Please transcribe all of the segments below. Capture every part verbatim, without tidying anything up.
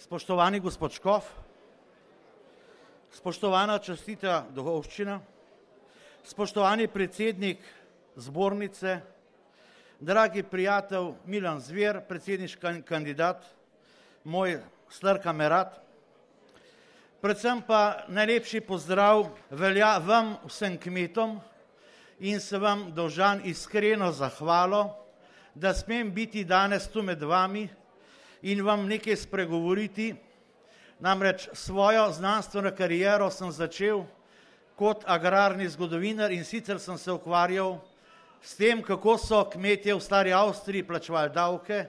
Spoštovani gospod Škof, spoštovana častita duhovščina, spoštovani predsednik zbornice, dragi prijatelj Milan Zver, predsedniški kandidat, moj star kamerad, predvsem pa najlepši pozdrav velja vam vsem kmetom in se vam dolžan iskreno zahvalo, da smem biti danes tu med vami in vam nekaj spregovoriti. Namreč svojo znanstveno kariero sem začel kot agrarni zgodovinar in sicer sem se ukvarjal s tem, kako so kmetje v stari Avstriji plačevali davke,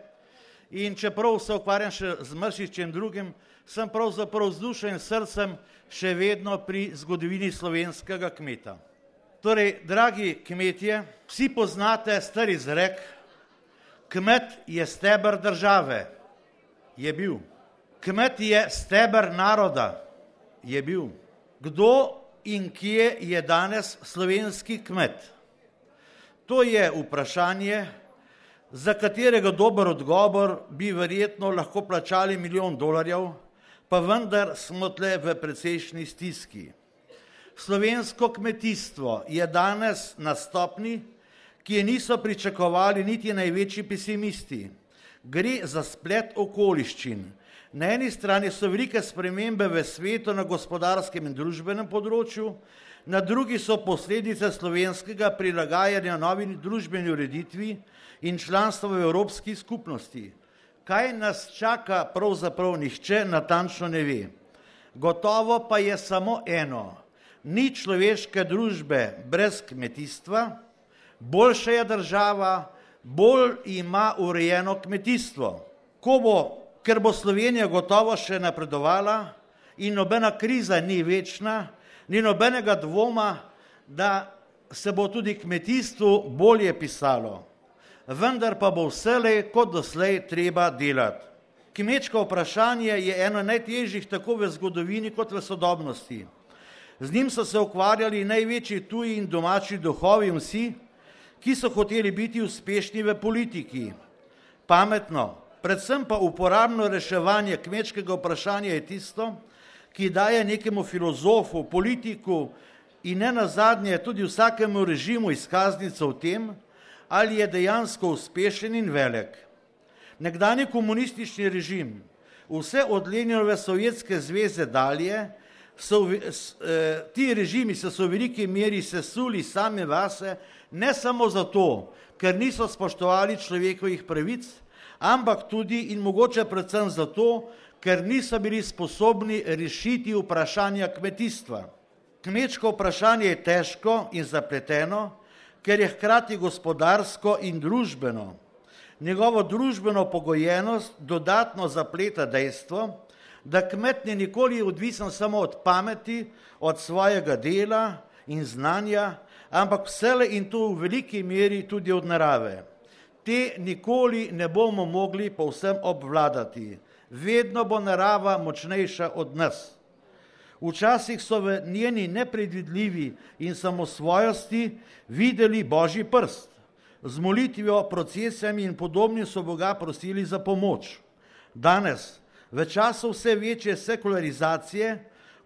in čeprav se ukvarjam še z marsičem drugim, sem pravzaprav z dušo in srcem še vedno pri zgodovini slovenskega kmeta. Torej, dragi kmetje, vsi poznate star izrek, kmet je steber države. Je bil. Kmet je steber naroda. Je bil. Kdo in kje je danes slovenski kmet? To je vprašanje, za katerega dober odgovor bi verjetno lahko plačali milijon dolarjev, pa vendar smo tle v precejšnji stiski. Slovensko kmetijstvo je danes na stopni, ki je niso pričakovali niti največji pesimisti. Gre za splet okoliščin. Na eni strani so velike spremembe v svetu na gospodarskem in družbenem področju, na drugi so posledice slovenskega prilagajanja novi družbeni ureditvi in članstva v Evropski skupnosti. Kaj nas čaka, pravzaprav nihče natančno ne ve. Gotovo pa je samo eno. Ni človeške družbe brez kmetijstva, boljša je država, bolj ima urejeno kmetijstvo. Ko bo, ker bo Slovenija gotovo še napredovala in nobena kriza ni večna, ni nobenega dvoma, da se bo tudi kmetijstvu bolje pisalo. Vendar pa bo vselej kot doslej treba delati. Kmečko vprašanje je eno najtežjih tako v zgodovini kot v sodobnosti. Z njim so se ukvarjali največji tuji in domači duhovi in vsi, ki so hoteli biti uspešni v politiki. Pametno, predvsem pa uporabno reševanje kmečkega vprašanja je tisto, ki daje nekemu filozofu, politiku in ne nazadnje tudi vsakemu režimu izkaznico v tem, ali je dejansko uspešen in velik. Nekdanji komunistični režim, vse od Leninove Sovjetske zveze dalje, so, eh, ti režimi so se v veliki meri sesuli same vase, ne samo zato, ker niso spoštovali človekovih pravic, ampak tudi in mogoče predvsem zato, ker niso bili sposobni rešiti vprašanja kmetijstva. Kmečko vprašanje je težko in zapleteno, ker je hkrati gospodarsko in družbeno. Njegovo družbeno pogojenost dodatno zapleta dejstvo, da kmet ni nikoli odvisen samo od pameti, od svojega dela in znanja, ampak vselej in to v veliki meri tudi od narave. Te nikoli ne bomo mogli povsem obvladati. Vedno bo narava močnejša od nas. Včasih so v njeni nepredvidljivi in samosvojosti videli Božji prst. Z molitvijo, procesijami in podobnim so Boga prosili za pomoč. Danes, v času vse večje sekularizacije,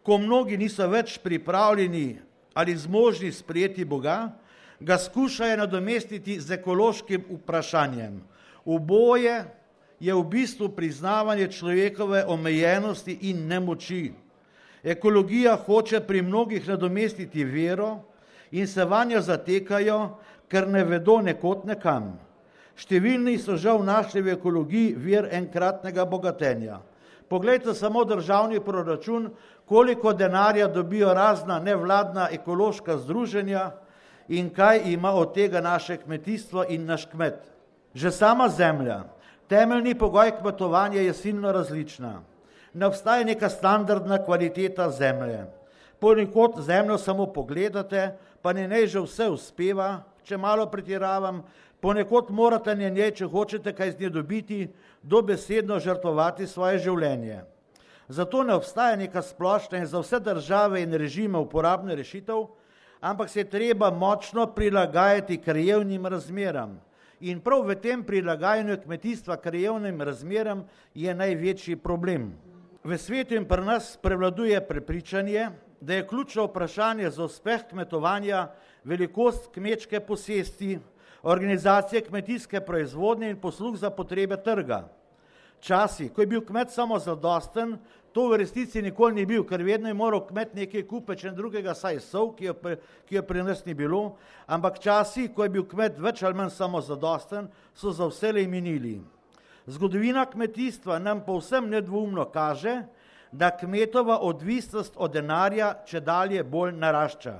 ko mnogi niso več pripravljeni ali zmožni sprejeti Boga, ga skušajo nadomestiti z ekološkim vprašanjem. Oboje je v bistvu priznavanje človekove omejenosti in nemoči. Ekologija hoče pri mnogih nadomestiti vero in se vanjo zatekajo, ker ne vedo nekod nekam. Številni so žal našli v ekologiji vir enkratnega bogatenja. Poglejte samo državni proračun, koliko denarja dobijo razna nevladna ekološka združenja in kaj ima od tega naše kmetijstvo in naš kmet. Že sama zemlja, temeljni pogoj kmetovanja je silno različna. Ne obstaja neka standardna kvaliteta zemlje. Ponekod zemljo samo pogledate, pa ne nej že vse uspeva, če malo pretiravam, ponekod morate na njej, če hočete kaj z nje dobiti, dobesedno žrtvovati svoje življenje. Zato ne obstaja neka splošna in za vse države in režime uporabna rešitev, ampak se je treba močno prilagajati krajevnim razmeram. In prav v tem prilagajanju kmetijstva krajevnim razmeram je največji problem. v svetu in pri nas prevladuje prepričanje, da je ključno vprašanje za uspeh kmetovanja velikost kmečke posesti, organizacije kmetijske proizvodnje in posluh za potrebe trga. Časi, ko je bil kmet samo zadosten, to v resnici nikoli ni bil, ker vedno je moral kmet nekaj kupiti, če drugega saj sol, ki jo, ki jo pri nas ni bilo, ampak časi, ko je bil kmet več ali manj samo zadosten, so za vselej minili. Zgodovina kmetijstva nam povsem nedvoumno kaže, da kmetova odvisnost od denarja čedalje bolj narašča.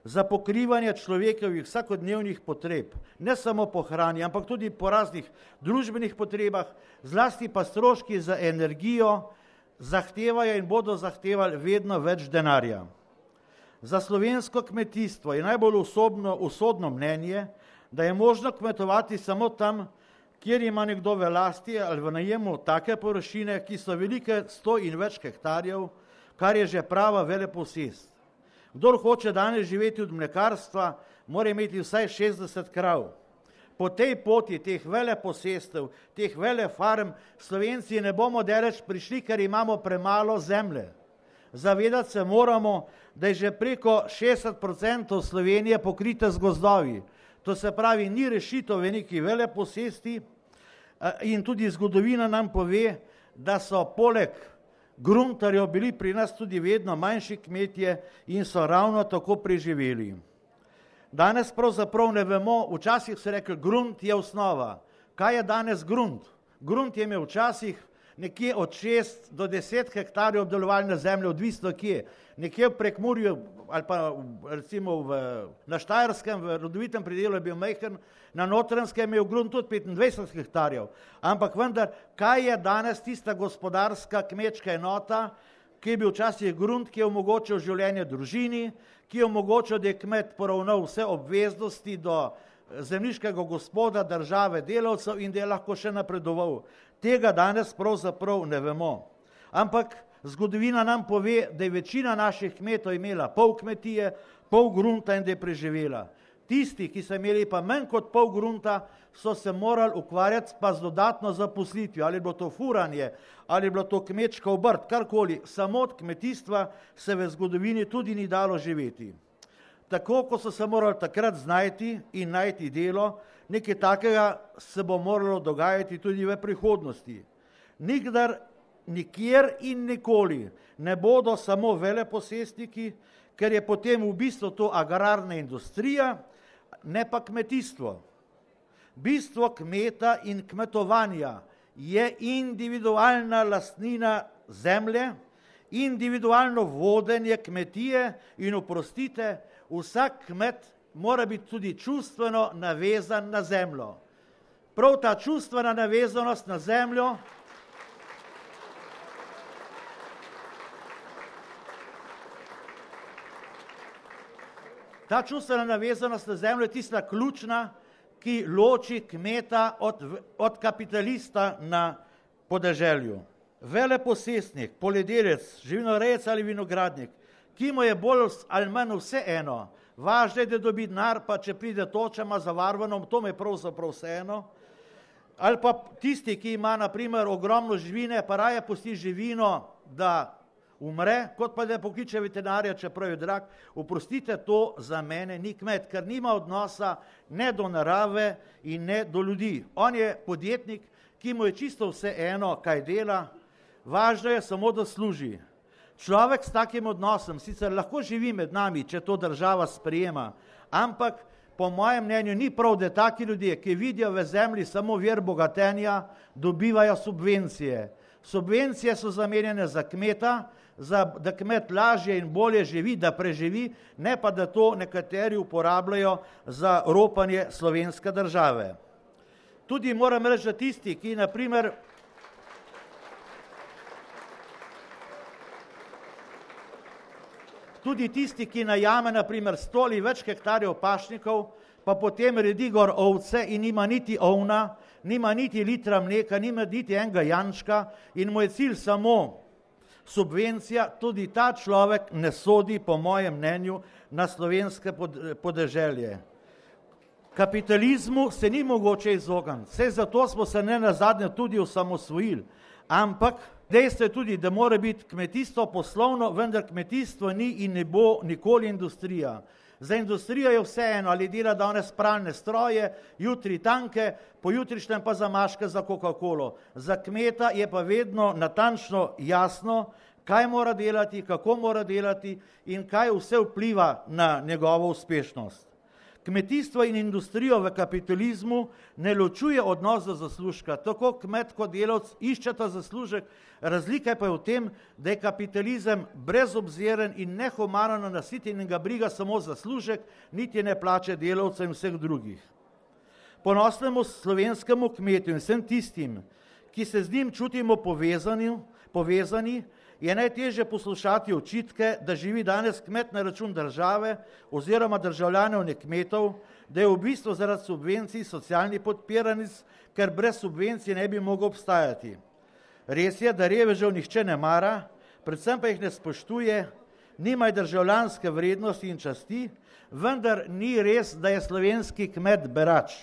Za pokrivanje človekovih vsakodnevnih potreb, ne samo po hrani, ampak tudi po raznih družbenih potrebah, zlasti pa stroški za energijo, zahtevajo in bodo zahtevali vedno več denarja. Za slovensko kmetijstvo je najbolj usodno, usodno mnenje, da je možno kmetovati samo tam, kjer ima nekdo v lasti ali v najemu take površine, ki so velike sto in več hektarjev, kar je že prava veleposest. Kdor hoče danes živeti od mlekarstva, mora imeti vsaj šestdeset krav. Po tej poti teh veleposestev, teh velefarm, Slovenci ne bomo daleč prišli, ker imamo premalo zemlje. Zavedati se moramo, da je že preko šestdeset procentov Slovenije pokrite z gozdovi. To se pravi, ni rešitev v neki veleposesti in tudi zgodovina nam pove, da so poleg gruntarjev bili pri nas tudi vedno manjši kmetje in so ravno tako preživeli. Danes pravzaprav ne vemo, včasih se rekel, grunt je osnova. Kaj je danes grunt? Grunt je imel včasih nekje od šest do deset hektarjev obdelovalne zemlje, odvisno kje. Nekje v Prekmurju ali pa recimo v, na Štajerskem, v rodovitem predelu je bil majhen, na Notranjskem je imel grunt tudi petindvajset hektarjev. Ampak vendar, kaj je danes tista gospodarska kmečka enota, ki je bil včasih grunt, ki je omogočil življenje družini, ki je omogočil, da je kmet poravnal vse obveznosti do zemljiškega gospoda, države, delavcev in da je lahko še napredoval. Tega danes pravzaprav ne vemo. Ampak zgodovina nam pove, da je večina naših kmetov imela pol kmetije, pol grunta in da je preživela. Tisti, ki so imeli pa manj kot pol grunta, so se morali ukvarjati pa z dodatno zaposlitvijo, ali je bilo to furanje, ali je bilo to kmečka obrt, karkoli, samo od kmetijstva se v zgodovini tudi ni dalo živeti. Tako, ko so se morali takrat znajti in najti delo, nekaj takega se bo moralo dogajati tudi v prihodnosti. Nikdar, nikjer in nikoli ne bodo samo veleposestniki, ker je potem v bistvu to agrarna industrija, ne pa kmetijstvo. Bistvo kmeta in kmetovanja je individualna lastnina zemlje, individualno vodenje kmetije in oprostite, vsak kmet mora biti tudi čustveno navezan na zemljo. Prav ta čustvena navezanost na zemljo Ta čustvena navezanost na zemljo je tista ključna, ki loči kmeta od, od kapitalista na podeželju. Veleposestnik, poljedelec, živinorejec ali vinogradnik, ki mu je bolj ali manj vse eno, važno je, da dobi denar, pa če pride toča, ima zavarvano, to me pravzaprav vse eno. Ali pa tisti, ki ima na primer ogromno živine, pa raje pusti živino, da umre, kot pa da pokliče veterinarja, čeprav je drag. Oprostite, to za mene ni kmet, ker nima odnosa ne do narave in ne do ljudi. On je podjetnik, ki mu je čisto vse eno, kaj dela, važno je samo, da služi. Človek s takim odnosom sicer lahko živi med nami, če to država sprejema, ampak po mojem mnenju ni prav, da taki ljudje, ki vidijo v zemlji samo vir bogatenja, dobivajo subvencije. Subvencije so zamenjene za kmeta, za, da kmet lažje in bolje živi, da preživi, ne pa da to nekateri uporabljajo za ropanje slovenske države. Tudi moram reči, da tisti, ki na primer tudi tisti, ki najame na primer sto ali več hektarjev pašnikov, pa potem redi gor ovce in nima niti ovna, nima niti litra mleka, nima niti enega jančka in mu je cilj samo subvencija, tudi ta človek ne sodi, po mojem mnenju, na slovenske podeželje. Kapitalizmu se ni mogoče izogniti, vse zato smo se ne nazadnje tudi osamosvojili, ampak Dejstvo je tudi, da mora biti kmetijstvo poslovno, vendar kmetijstvo ni in ne bo nikoli industrija. Za industrijo je vseeno, ali dela danes pralne stroje, jutri tanke, pojutrišnjem pa zamaške za Coca-Colo. Za kmeta je pa vedno natančno jasno, kaj mora delati, kako mora delati in kaj vse vpliva na njegovo uspešnost. Kmetijstvo in industrijo v kapitalizmu ne ločuje odnos do zaslužka. Tako kmet kot delavec iščeta zaslužek, razlika pa je v tem, da je kapitalizem brezobziren in nehumano nasiten in ga briga samo zaslužek, niti ne plače delavcev in vseh drugih. Ponosnemu slovenskemu kmetu in vsem tistim, ki se z njim čutimo povezani, povezani je najtežje poslušati očitke, da živi danes kmet na račun države oziroma državljanov ne kmetov, da je v bistvu zaradi subvencij socialni podpiranic, ker brez subvencij ne bi mogel obstajati. Res je, da revežev nihče ne mara, predvsem pa jih ne spoštuje, nimajo državljanske vrednosti in časti, vendar ni res, da je slovenski kmet berač.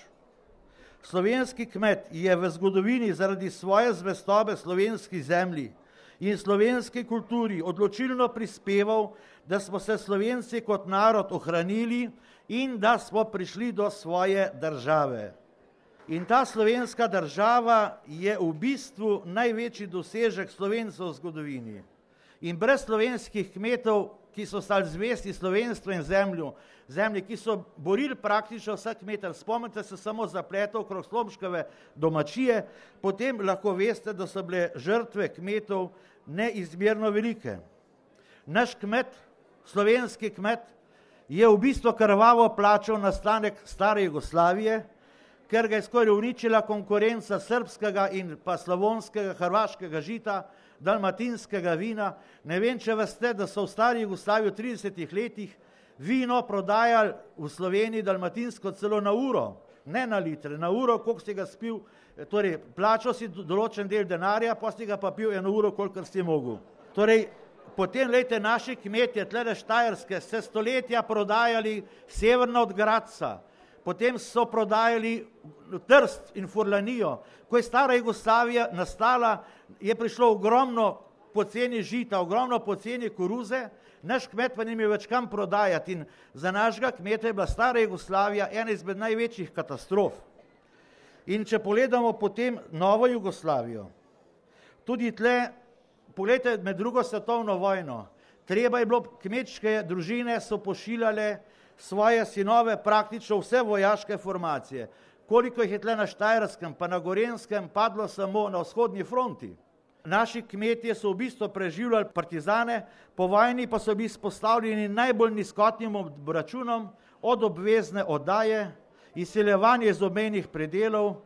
Slovenski kmet je v zgodovini zaradi svoje zvestobe slovenski zemlji in slovenski kulturi odločilno prispeval, da smo se Slovenci kot narod ohranili in da smo prišli do svoje države. In ta slovenska država je v bistvu največji dosežek Slovencev v zgodovini. In brez slovenskih kmetov, ki so stali zvesti slovenstvu in zemlju, zemlji, ki so borili praktično vsak meter, spomnite se samo zapletov okrog Slomškove domačije, potem lahko veste, da so bile žrtve kmetov neizmerno velike. Naš kmet, slovenski kmet, je v bistvu krvavo plačal nastanek stare Jugoslavije, ker ga je skoraj uničila konkurenca srbskega in pa slavonskega, hrvaškega žita, dalmatinskega vina. Ne vem, če veste, da so v stari Jugoslaviji v tridesetih letih vino prodajali v Sloveniji dalmatinsko celo na uro, ne na litre, na uro, koliko si ga spil, torej plačal si določen del denarja, pa si ga pa pil eno uro, kolikor si mogel. Torej, potem, lejte, naši kmetje, tlele Štajerske, se stoletja prodajali severno od Gradca, potem so prodajali Trst in Furlanijo. Ko je stara Jugoslavija nastala, je prišlo ogromno poceni žita, ogromno poceni koruze, naš kmet pa ni imel več kam prodajati in za našega kmeta je bila stara Jugoslavija ena izmed največjih katastrof. In če pogledamo potem novo Jugoslavijo, tudi tle, pogledajte med drugo svetovno vojno, treba je bilo, kmečke družine so pošiljale svoje sinove praktično vse vojaške formacije. Koliko jih je tle na Štajerskem pa na Gorenskem padlo samo na vzhodni fronti. Naši kmetje so v bistvu preživljali partizane, po vojni pa so bili izpostavljeni najbolj nizkotnim obračunom, od obvezne oddaje, izseljevanje iz obmejnih predelov,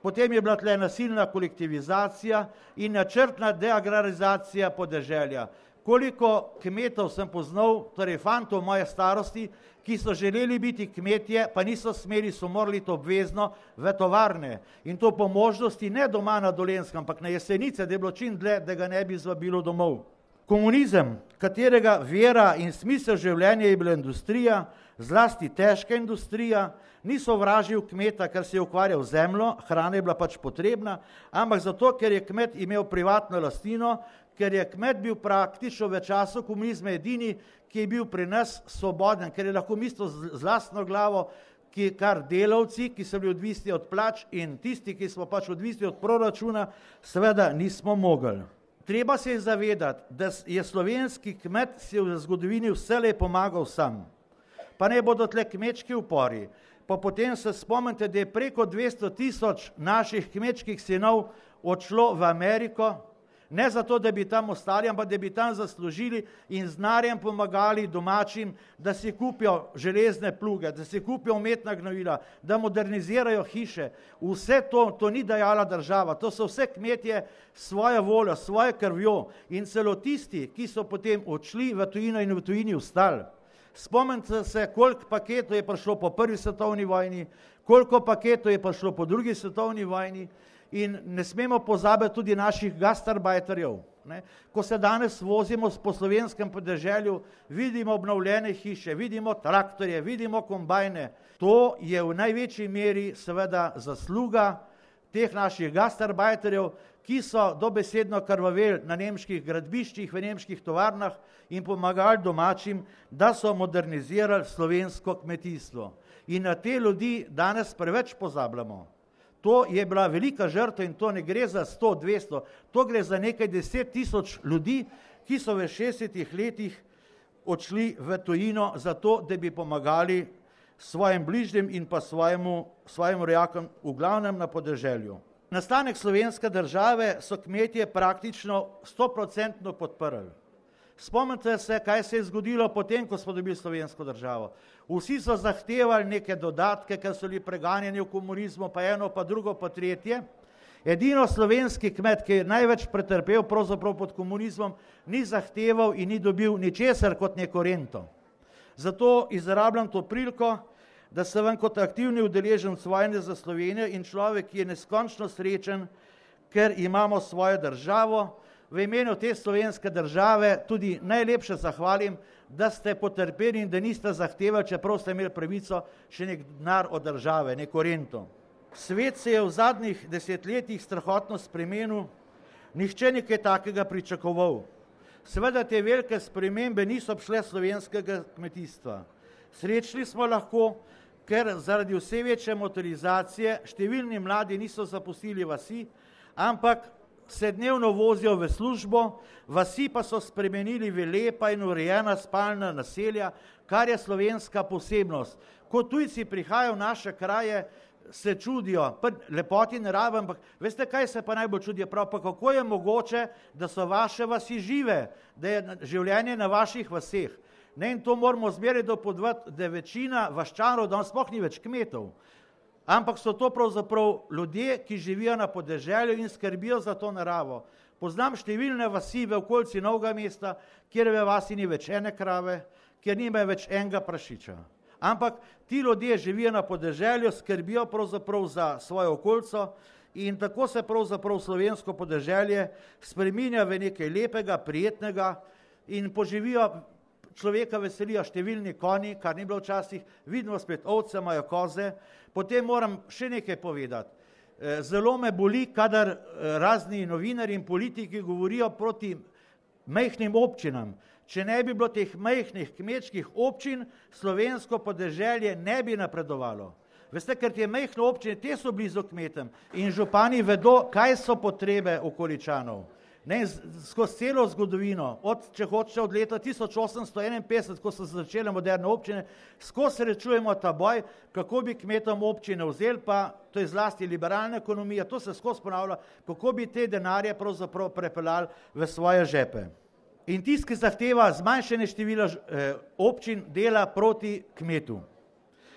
potem je bila tle nasilna kolektivizacija in načrtna deagrarizacija podeželja. Koliko kmetov sem poznal, torej fantov moje starosti, ki so želeli biti kmetje, pa niso smeli, so morali to obvezno v tovarne. In to po možnosti ne doma na Dolenjskem, ampak na Jesenice, da je bilo čim dlje, da ga ne bi zvabilo domov. Komunizem, katerega vera in smisel življenja je bila industrija, zlasti težka industrija, ni sovražil kmeta, ker se je ukvarjal z zemljo, hrana je bila pač potrebna, ampak zato, ker je kmet imel privatno lastnino, ker je kmet bil praktično v času komunizma edini, ki je bil pri nas svoboden, ker je lahko mislil z lastno glavo, ki kar delavci, ki so bili odvisni od plač in tisti, ki smo pač odvisni od proračuna, seveda nismo mogli. Treba se je zavedati, da je slovenski kmet si v zgodovini vselej pomagal sam. Pa ne bodo tle kmečki upori. Pa potem se spomnite, da je preko dvesto tisoč naših kmečkih sinov odšlo v Ameriko, ne zato, da bi tam ostali, ampak da bi tam zaslužili in z denarjem pomagali domačim, da si kupijo železne pluge, da si kupijo umetna gnojila, da modernizirajo hiše. Vse to, to ni dajala država, to so vse kmetje svojo voljo, svojo krvjo in celo tisti, ki so potem odšli v tujino in v tujini ostali. Spomnite se, koliko paketov je prišlo po prvi svetovni vojni, koliko paketov je prišlo po drugi svetovni vojni. In ne smemo pozabiti tudi naših gastarbajterjev. Ne? Ko se danes vozimo po slovenskem podeželju, vidimo obnovljene hiše, vidimo traktorje, vidimo kombajne. To je v največji meri seveda zasluga teh naših gastarbajterjev, ki so dobesedno krvaveli na nemških gradbiščih, v nemških tovarnah in pomagali domačim, da so modernizirali slovensko kmetijstvo. In na te ljudi danes preveč pozabljamo. To je bila velika žrtev in to ne gre za sto, dvesto, to gre za nekaj deset tisoč ljudi, ki so v šestdesetih letih odšli v tujino zato, da bi pomagali svojim bližnjim in pa svojemu, svojim rojakom, v glavnem na podeželju. Nastanek slovenske države so kmetje praktično stoprocentno podprli. Spomnite se, kaj se je zgodilo potem, ko smo dobili slovensko državo. Vsi so zahtevali neke dodatke, ker so bili preganjeni v komunizmu, pa eno, pa drugo, pa tretje. Edino slovenski kmet, ki je največ pretrpel pravzaprav pod komunizmom, ni zahteval in ni dobil ničesar kot neko rento. Zato izrabljam to priliko, da se vam kot aktivni udeleženec vojne za Slovenijo in človek, ki je neskončno srečen, ker imamo svojo državo, v imenu te slovenske države tudi najlepše zahvalim, da ste potrpeli in da niste zahtevali, čeprav ste imeli pravico, še nek denar od države, neko rento. Svet se je v zadnjih desetletjih strahotno spremenil, nihče nekaj takega pričakoval. Seveda te velike spremembe niso obšle slovenskega kmetijstva. Srečni smo lahko, ker zaradi vse večje motorizacije številni mladi niso zapustili vasi, ampak se dnevno vozijo v službo, vasi pa so spremenili v lepa in urejena spalna naselja, kar je slovenska posebnost. Ko tujci prihajajo v naše kraje, se čudijo, pa lepoti narave, ampak veste, kaj se pa najbolj čudijo, prav pa kako je mogoče, da so vaše vasi žive, da je življenje na vaših vaseh. Ne, in to moramo zmeraj dopodvati, da večina vaščanov danes sploh ni več kmetov, ampak so to pravzaprav ljudje, ki živijo na podeželju in skrbijo za to naravo. Poznam številne vasi v okolici Novega mesta, kjer v vasi ni več ene krave, kjer nima več enega prašiča. Ampak ti ljudje živijo na podeželju, skrbijo pravzaprav za svojo okolico in tako se pravzaprav slovensko podeželje spreminja v nekaj lepega, prijetnega in poživijo, človeka veselijo številni konji, kar ni bilo včasih, vidimo spet ovce, imajo koze. Potem moram še nekaj povedati. Zelo me boli, kadar razni novinarji in politiki govorijo proti majhnim občinam. Če ne bi bilo teh majhnih kmečkih občin, slovensko podeželje ne bi napredovalo. Veste, ker te majhne občine, te so blizu kmetem in župani vedo, kaj so potrebe okoličanov. Ne, skozi celo zgodovino, od, če hočete, od leta tisoč osemsto enainpetdeset, ko so se začele moderne občine, skozi srečujemo ta boj, kako bi kmetom občine vzeli, pa to je zlasti liberalna ekonomija, to se skozi ponavlja, kako bi te denarje pravzaprav prepeljali v svoje žepe. In tisti, ki zahteva zmanjšanje števila eh, občin, dela proti kmetu.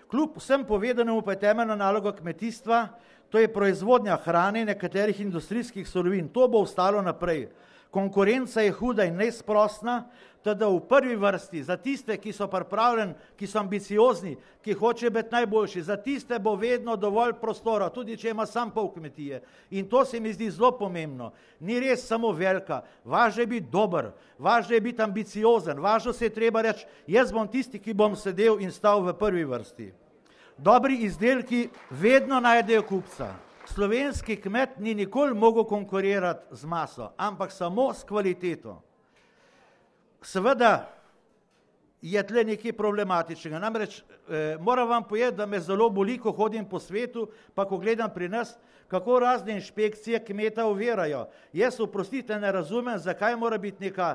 Kljub vsem povedanemu pa je temeljna naloga kmetijstva, to je proizvodnja hrane in nekaterih industrijskih surovin. To bo ostalo naprej. Konkurenca je huda in neizprosna, teda v prvi vrsti za tiste, ki so pripravljeni, ki so ambiciozni, ki hočejo biti najboljši, za tiste bo vedno dovolj prostora, tudi če ima sam pol kmetije. In to se mi zdi zelo pomembno. Ni res samo velika, važno je biti dober, važno je biti ambiciozen, važno se je treba reči, jaz bom tisti, ki bom sedel in stal v prvi vrsti. Dobri izdelki vedno najdejo kupca. Slovenski kmet ni nikoli mogel konkurirati z maso, ampak samo s kvaliteto. Seveda je tle nekaj problematičnega. Namreč eh, moram vam povedati, da me zelo boli, ko hodim po svetu, pa ko gledam pri nas, kako razne inšpekcije kmeta ovirajo. Jaz, oprostite, ne razumem, zakaj mora biti neka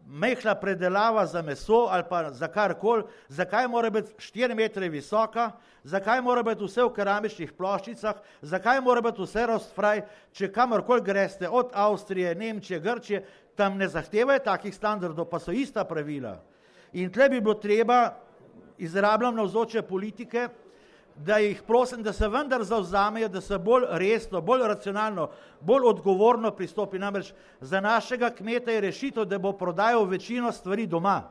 majhna predelava za meso ali pa za karkoli, zakaj mora biti štiri metre visoka, zakaj mora biti vse v keramičnih ploščicah, zakaj mora biti vse rostfraj, če kamorkoli greste, od Avstrije, Nemčije, Grčije, tam ne zahtevajo takih standardov, pa so ista pravila. In tle bi bilo treba, izrabljam navzoče politike, da jih prosim, da se vendar zavzamejo, da se bolj resno, bolj racionalno, bolj odgovorno pristopi. Namreč za našega kmeta je rešitev, da bo prodajal večino stvari doma,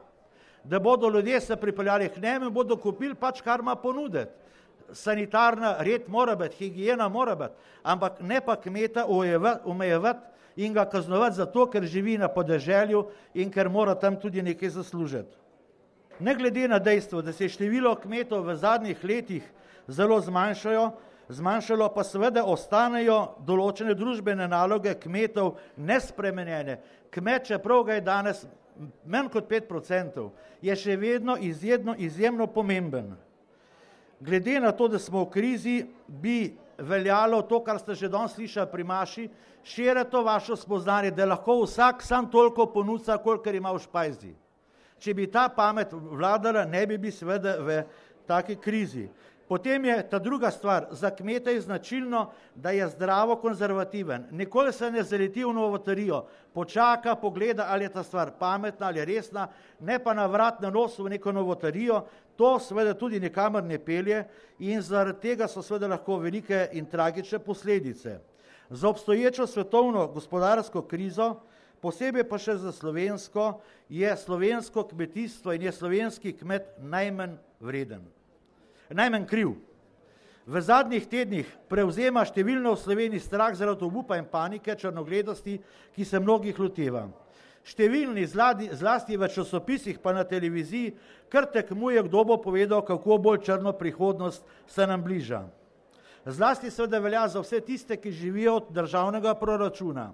da bodo ljudje se pripeljali k njemu in bodo kupili pač, kar ima ponuditi. Sanitarna red mora biti, higiena mora biti, ampak ne pa kmeta omejevati in ga kaznovati zato, ker živi na podeželju in ker mora tam tudi nekaj zaslužiti. Ne glede na dejstvo, da se je število kmetov v zadnjih letih zelo zmanjšajo, zmanjšalo, pa seveda ostanejo določene družbene naloge kmetov nespremenjene. Kmet, čeprav ga je danes manj kot pet procentov, je še vedno izjemno, izjemno pomemben. Glede na to, da smo v krizi, bi veljalo to, kar ste že danes slišali pri Maši, širiti to vašo spoznanje, da lahko vsak sam toliko ponuca, kolikor ima v špajzi. Če bi ta pamet vladala, ne bi bi seveda v taki krizi. Potem je ta druga stvar, za kmete je značilno, da je zdravo konzervativen. Nikoli se ne zaleti v novoterijo, počaka, pogleda, ali je ta stvar pametna ali resna, ne pa na vrat na nos v neko novoterijo, to seveda tudi nikamor ne pelje in zaradi tega so seveda lahko velike in tragične posledice. Za obstoječo svetovno gospodarsko krizo, posebej pa še za slovensko, je slovensko kmetijstvo in je slovenski kmet najmanj vreden. Najmanj kriv. V zadnjih tednih prevzema številno v Sloveniji strah zaradi obupa in panike, črnogledosti, ki se mnogih loteva. Številni zladi, zlasti v časopisih pa na televiziji kar tekmuje, kdo bo povedal, kako bolj črno prihodnost se nam bliža. Zlasti seveda velja za vse tiste, ki živijo od državnega proračuna.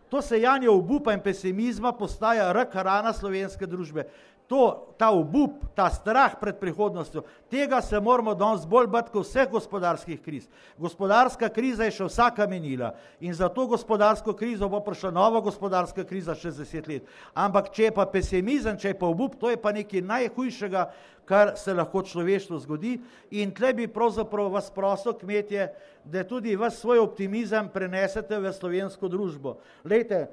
To sejanje obupa in pesimizma postaja rak rana slovenske družbe. To, ta obup, ta strah pred prihodnostjo, tega se moramo danes bolj bati kot vseh gospodarskih kriz. Gospodarska kriza je še vsaka menila in za to gospodarsko krizo bo prišla nova gospodarska kriza še deset let. Ampak če je pa pesimizem, če je pa obup, to je pa nekaj najhujšega, kar se lahko človeštvu zgodi in tle bi pravzaprav vas prosil, kmetje, da tudi vas svoj optimizem prenesete v slovensko družbo. Lejte,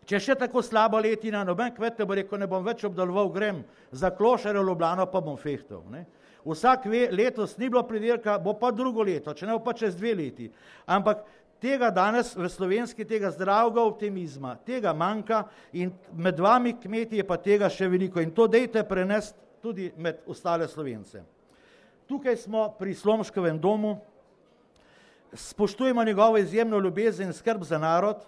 če še tako slaba letina, noben kmet bo rekel, ne bom več obdeloval, grem za klošarje v Ljubljano, pa bom fehtal. Ne? Vsak ve, letos ni bilo pridelka, bo pa drugo leto, če ne bo pa čez dve leti. Ampak tega danes v slovenski, tega zdravega optimizma, tega manjka in med vami kmeti je pa tega še veliko in to dejte prenesti tudi med ostale Slovence. Tukaj smo pri Slomškovem domu, spoštujemo njegovo izjemno ljubezen in skrb za narod,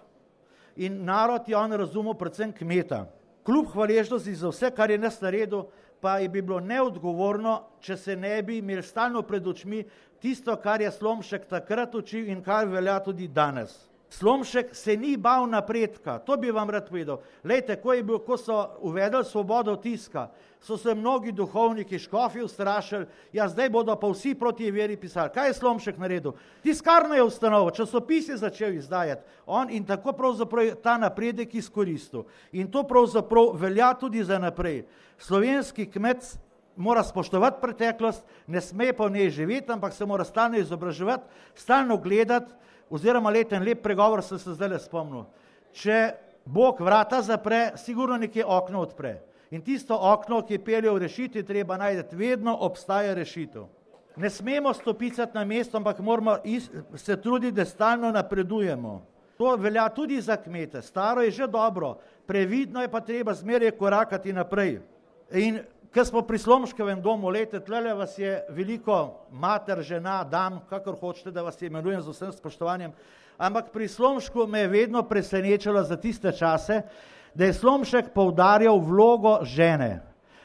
in narod je on razumel predvsem kmeta. Kljub hvaležnosti za vse, kar je nas naredil, pa je bi bilo neodgovorno, če se ne bi imeli stalno pred očmi tisto, kar je Slomšek takrat učil in kar velja tudi danes. Slomšek se ni bal napredka, to bi vam rad povedal. Lejte, ko, je bil, ko so uvedli svobodo tiska, so se mnogi duhovniki, škofi ustrašili, ja zdaj bodo pa vsi proti veri pisali. Kaj je Slomšek naredil? Tiskarno je ustanovil, časopis je začel izdajati, on in tako pravzaprav ta napredek izkoristil. In to pravzaprav velja tudi za naprej. Slovenski kmet mora spoštovati preteklost, ne sme pa v njej živeti, ampak se mora stalno izobraževati, stalno gledati, oziroma leten lep pregovor sem se zdaj le spomnil. Če Bog vrata zapre, sigurno nekje okno odpre. In tisto okno, ki pelje v rešitvi, treba najti, vedno obstaja rešitev. Ne smemo stopicati na mesto, ampak moramo se truditi, da stalno napredujemo. To velja tudi za kmete. Staro je že dobro, previdno je pa treba zmeraj korakati naprej. In ko smo pri Slomškovem domu, lejte, tlele vas je veliko mater, žena, dam, kakor hočete, da vas imenujem z vsem spoštovanjem, ampak pri Slomšku me je vedno presenečalo za tiste čase, da je Slomšek poudarjal vlogo žene.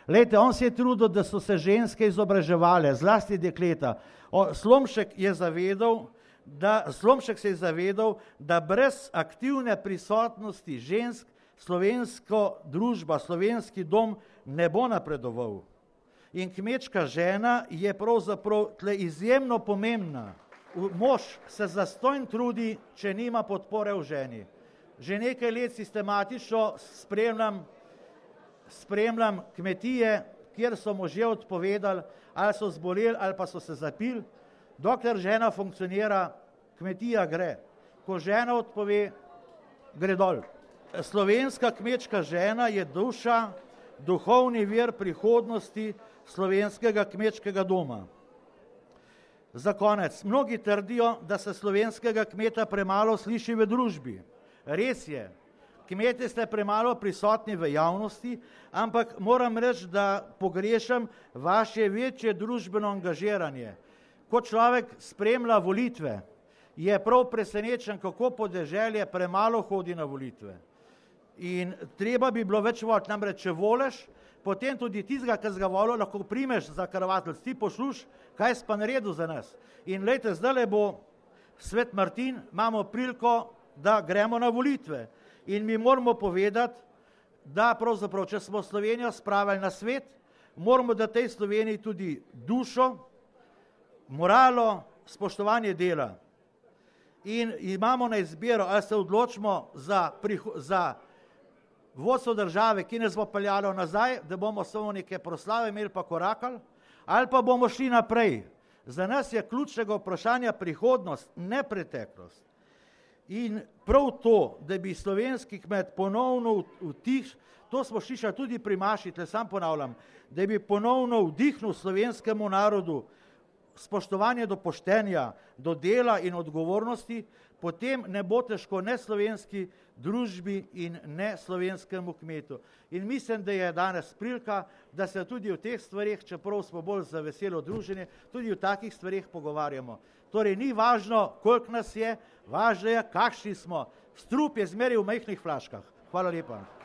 Lejte, on se je trudil, da so se ženske izobraževale, zlasti dekleta. O, Slomšek je zavedal, da, Slomšek se je zavedal, da brez aktivne prisotnosti žensk slovensko družba, slovenski dom ne bo napredoval. In kmečka žena je pravzaprav tle izjemno pomembna. Mož se zastonj trudi, če nima podpore v ženi. Že nekaj let sistematično spremljam, spremljam kmetije, kjer so možje odpovedali, ali so zboleli, ali pa so se zapili. Dokler žena funkcionira, kmetija gre. Ko žena odpove, gre dol. Slovenska kmečka žena je duša, duhovni vir prihodnosti slovenskega kmečkega doma. Za konec, mnogi trdijo, da se slovenskega kmeta premalo sliši v družbi. Res je, kmetje ste premalo prisotni v javnosti, ampak moram reči, da pogrešam vaše večje družbeno angažiranje. Ko človek spremlja volitve, je prav presenečen, kako podeželje premalo hodi na volitve. In treba bi bilo več voliti, namreč če voliš, potem tudi tistega, ki ga volil, lahko primeš za karavatelj, ti pošluš, kaj si pa naredil za nas. In lejte, zdaj bo Svet Martin, imamo priliko, da gremo na volitve. In mi moramo povedati, da pravzaprav, če smo Slovenijo spravili na svet, moramo da tej Sloveniji tudi dušo, moralo, spoštovanje dela. In imamo na izbiro, ali se odločimo za, za vodstvo države, ki nas bo peljalo nazaj, da bomo samo neke proslave imeli pa korakali, ali pa bomo šli naprej. Za nas je ključnega vprašanja prihodnost, ne preteklost. In prav to, da bi slovenski kmet ponovno vtih, to smo slišali tudi pri Maši, tle sam ponavljam, da bi ponovno vdihnil slovenskemu narodu spoštovanje do poštenja, do dela in odgovornosti, potem ne bo težko ne slovenski družbi in ne slovenskemu kmetu. In mislim, da je danes prilika, da se tudi o teh stvarih, čeprav smo bolj za veselo druženje, tudi o takih stvarih pogovarjamo. Torej, ni važno, koliko nas je, važno je, kakšni smo. Strup je zmeraj v majhnih flaškah. Hvala lepa.